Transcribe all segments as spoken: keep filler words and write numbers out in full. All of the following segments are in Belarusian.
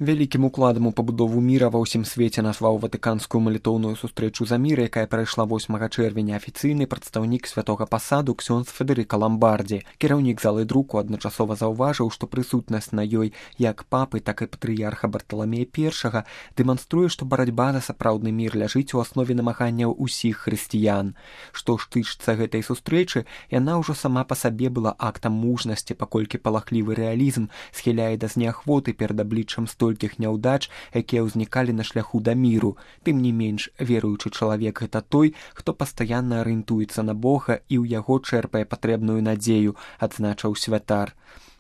Вялікім укладам у пабудову міра ва ўсім свеце назваў ватыканскую малітоўную сустрэчу за мір, якая прайшла восьмага чэрвеня афіцыйны прадстаўнік святога пасаду ксёндз Федэрыка Ламбардзі. Кіраўнік залы друку адначасова заўважыў, што прысутнасць на ёй як папы, так і патрыярха Барталамея першага дэманструе, што барацьба за сапраўдны мір ляжыць у аснове намаганняў усіх хрысціян. Што ж тычыцца гэтай сустрэчы, яна ўжо сама па сабе была актам мужнасці, паколькі палахлівы рэалізм схіляе да зняхвоты перад абліччам столькіх няўдач, якія ўзнікалі на шляху да міру. Тым не менш, веруючы чалавек гэта той, хто пастаянна арыентуецца на Бога і ў яго чэрпае патрэбную надзею, адзначыў святар.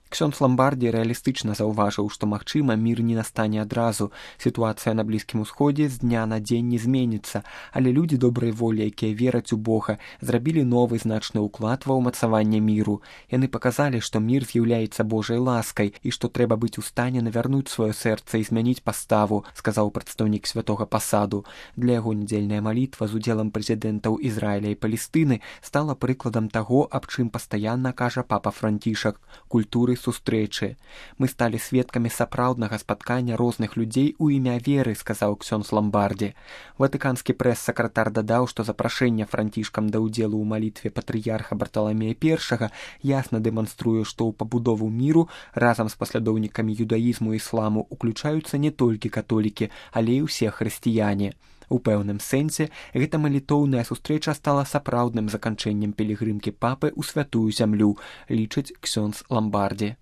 Ксёндз Ламбардзі рэалістычна заўважыў, што, магчыма, мір не настане адразу. Сітуацыя на Блізкім Усходзе з дня на дзень не зменіцца, але людзі добрай волі, якія вераць у Бога, зрабілі новы значны ўклад ва ўмацаванне міру. Яны паказалі, што мір з'яўляецца Божай ласкай і што трэба быць у стане навярнуць сваё сэрца і змяніць паставу, сказаў прадстаўнік святога пасаду. Для яго нядзельная малітва з удзелам прэзідэнтаў Ізраіля і Палестыны стала прыкладам таго, аб чым пастаянна кажа папа Францішак – культуры сустрэчы. Мы сталі сведкамі сапраўднага спаткання розных людзей у імя веры, сказаў ксёндз Ламбардзі. Ватыканскі прэс-сакратар дадаў, што запрашэнне Францішкам да ўдзелу ў малітве патрыярха Барталамея першага ясна дэманструе, што ў пабудову міру разам з паслядоўнікамі юдаізму і ісламу уключаюцца не толькі католікі, але і ўсе хрысціяне. У пэўным сэнсе, гэта малітоўная сустрэча стала сапраўдным заканчэннем пілігрымкі папы ў святую зямлю, лічыць ксёндз Ламбардзі.